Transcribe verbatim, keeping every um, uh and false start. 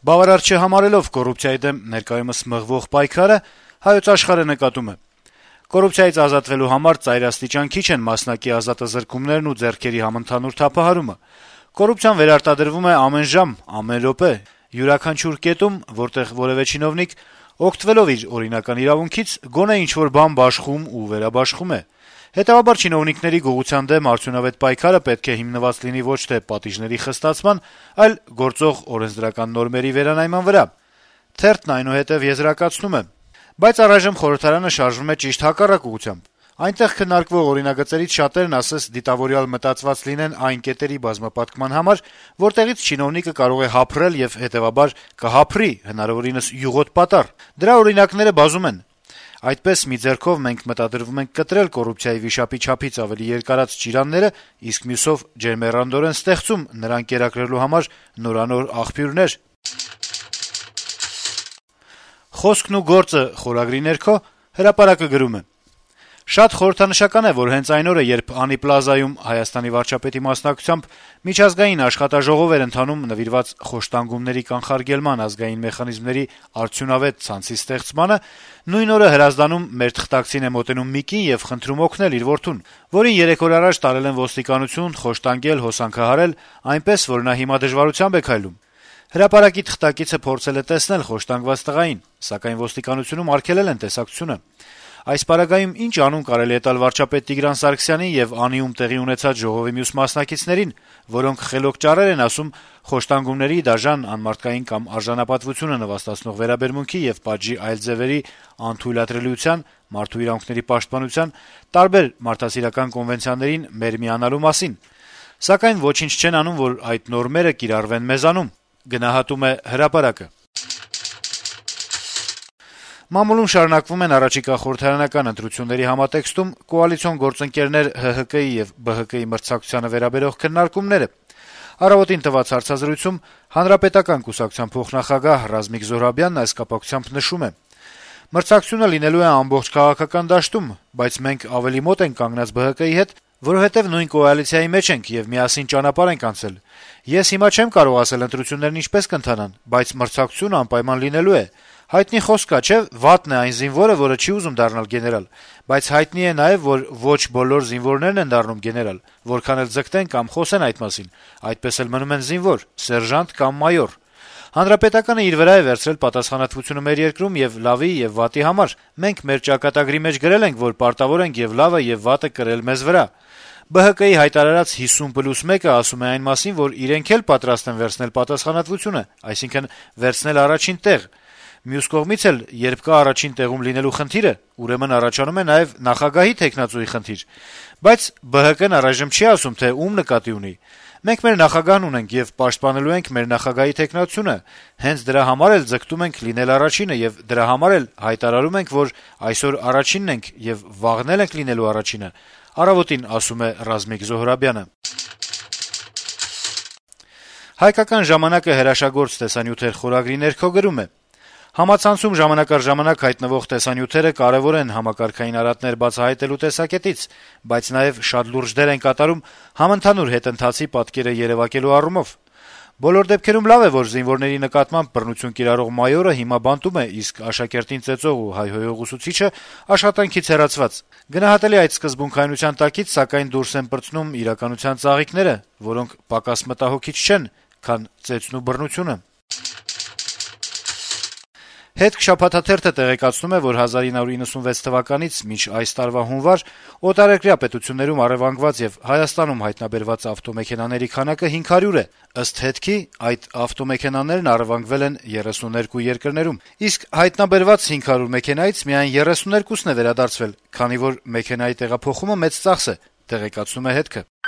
Բավարար չհամարելով կոռուպցիայի դեմ ներկայումս մղվող պայքարը, Հայոց Աշխարհը նկատում է. կոռուպցիայից ազատվելու համար ծայրաստիճան քիչ են մասնակի ազատազրկումներն ու ձեռքերի համընդհանուր թափահարումը: Կոռուպցիան վերարտադրվում է ամեն ժամ, ամեն րոպե, յուրաքանչյուր կետում, որտեղ որեւէ չինովնիկ, օգտվելով իր օրինական իրավունքից, գոնե ինչ-որ բան բաշխում ու վերաբաշխում է: Հետեւաբար չինովնիկների գողության դեմ արդյունավետ պայքարը պետք է հիմնված լինի ոչ թե պատիժների խստացման, այլ գործող օրենսդրական նորմերի վերանայման վրա: Թերթն այնուհետեւ եզրակացնում է. - «Բայց առայժմ խորհրդարանը շարժվում է ճիշտ հակառակ ուղղությամբ: Այնտեղ քննարկվող օրինագծերից շատերն ասես դիտավորյալ մտածված լինեն այն կետերի բազմապատկման համար, որտեղից չինովնիկը կարող է հափռել եւ հետեւաբար կհափռի հնարավորինս յուղոտ պատառ: Դրա օրինակները բազում են: Այդպես մի ձեռքով մենք մտադրվում ենք կտրել կոռուպցիայի վիշապի չափից ավելի երկարած ճիրանները, իսկ մյուսով ջերմեռանդորեն ստեղծում նրան կերակրելու համար նորանոր աղբյուրներ»: «Խոսքն ու գործը» խորագրի ներքո «Հրապարակ»-ը գրում է. - «Շատ խորհրդանշական է, որ հենց այն օրը, երբ Անի Պլազայում Հայաստանի վարչապետի մասնակցությամբ միջազգային աշխատաժողով էր ընթանում նվիրված խոշտանգումների կանխարգելման ազգային մեխանիզմների արդյունավետ ցանցի ստեղծմանը, նույն օրը Հրազդանում մեր թղթակցին է մոտենում մի կին եւ խնդրում օգնել իր որդուն, որին երեք օր առաջ տարել են ոստիկանություն, խոշտանգել, հոսանքահարել, այնպես, որ նա հիմա դժվարությամբ է քայլում: Հրապարակի թղթակիցը փորձել է տեսնել խոշտանգված տղային, սակայն ոստիկանությունում արգելել են տեսակցությունը: Այս պարագայում ինչ անուն կարելի է տալ վարչապետ Տիգրան Սարգսյանին եւ Անիում տեղի ունեցած ժողովի մյուս մասնակիցներին, որոնք խելոք ճառեր են ասում խոշտանգումների, դաժան, անմարդկային կամ արժանապատվությունը նվաստացնող վերաբերմունքի եւ պատժի այլ ձեւերի անթույլատրելիության, մարդու իրավունքների պաշտպանության, տարբեր մարդասիրական կոնվենցիաներին մեր միանալու մասին: Սակայն ոչինչ չեն անում, որ այդ նորմերը կիրառվեն մեզանում»: Մամուլում շարունակվում են առաջիկա խորհրդարանական ընտրությունների համատեքստում կոալիցիոն գործընկերներ ՀՀԿ-ի եւ ԲՀԿ-ի մրցակցությանը վերաբերող քննարկումները: «Առավոտ»-ին տված հարցազրույցում Հանրապետական կուսակցության փոխնախագահ Ռազմիկ Զոհրաբյանն այս կապակցությամբ նշում է. - «Մրցակցությունը լինելու է ամբողջ քաղաքական դաշտում, բայց մենք ավելի մոտ ենք կանգնած ԲՀԿ-ի հետ, որովհետեւ նույն կոալիցիայի մեջ ենք եւ միասին ճանապարհ ենք անցել: Ես հիմա չեմ կարող ասել ընտրություններն ինչպես կընթանան, բայց մրցակցությունը անպայման լինելու է: Հայտնի խոսք կա, չէ՞, վատն է այն զինվորը, որը չի ուզում դառնալ գեներալ: Բայց հայտնի է նաեւ, որ ոչ բոլոր զինվորներն են դառնում գեներալ, որքան էլ ձգտեն կամ խոսեն այդ մասին, այդպես էլ մնում են զինվոր, սերժանտ կամ մայոր: Հանրապետականը իր վրա է վերցրել պատասխանատվությունը մեր երկրում եւ լավի եւ վատի համար: Մենք մեր ճակատագրի մեջ գրել ենք, որ պարտավոր ենք եւ լավը եւ վատը կրել մեզ վրա: ԲՀԿ-ի հայտարարած հիսուն պլյուս մեկը ասում է այն մասին, որ իրենք էլ պատրաստ են վերցնել պատասխանատվությունը, այսինքն` վերցնել առաջին տեղ: Մյուս կողմից էլ, երբ կա առաջին տեղում լինելու խնդիրը, ուրեմն առաջանում է նաեւ նախագահի թեկնածուի խնդիր: Բայց ԲՀԿ-ն առայժմ չի ասում, թե ում նկատի ունի: Մենք մեր նախագահն ունենք եւ պաշտպանելու ենք մեր նախագահի թեկնածությունը: Հենց դրա համար էլ ձգտում ենք լինել առաջինը եւ դրա համար էլ հայտարարում ենք, որ այսօր առաջինն ենք եւ վաղն էլ ենք լինելու առաջինը»: «Հայկական ժամանակ»-ը հրաշագործ տեսանյութեր խորագրի ներքո գրում է. - «Համացանցում ժամանակ առ ժամանակ հայտնվող տեսանյութերը կարեւոր են համակարգային արատներ բացահայտելու տեսակետից, բայց նաեւ շատ լուրջ դեր են կատարում համընդհանուր հետընթացի պատկերը երեւակելու առումով: Բոլոր դեպքերում լավ է, որ զինվորների նկատմամբ բռնություն կիրառող մայորը հիմա բանտում է, իսկ աշակերտին ծեծող ու հայհոյող ուսուցիչը աշխատանքից հեռացված: Գնահատելի է այդ սկզբունքայնության տակից, սակայն դուրս են պրծնում իրականության ծաղիկները, որոնք պակաս մտահոգիչ չեն, քան ծեծն ու բռնությունը»: «Հետք» շաբաթաթերթը տեղեկացնում է, որ հազար ինը հարյուր իննսունվեց թվականից մինչ այս տարվա հունվար օտարերկրյա պետություններում առեւանգված եւ Հայաստանում հայտնաբերված ավտոմեքենաների քանակը հինգ հարյուր է: Ըստ «Հետք»-ի, այդ ավտոմեքենաներն առեւանգվել են երեսուններկու երկրներում: Իսկ հայտնաբերված հինգ հարյուր մեքենայից միայն երեսուներկուսն է վերադարձվել, քանի որ մեքենայի տեղափոխումը մեծ ծախս է, տեղեկացնում է «Հետք»-ը: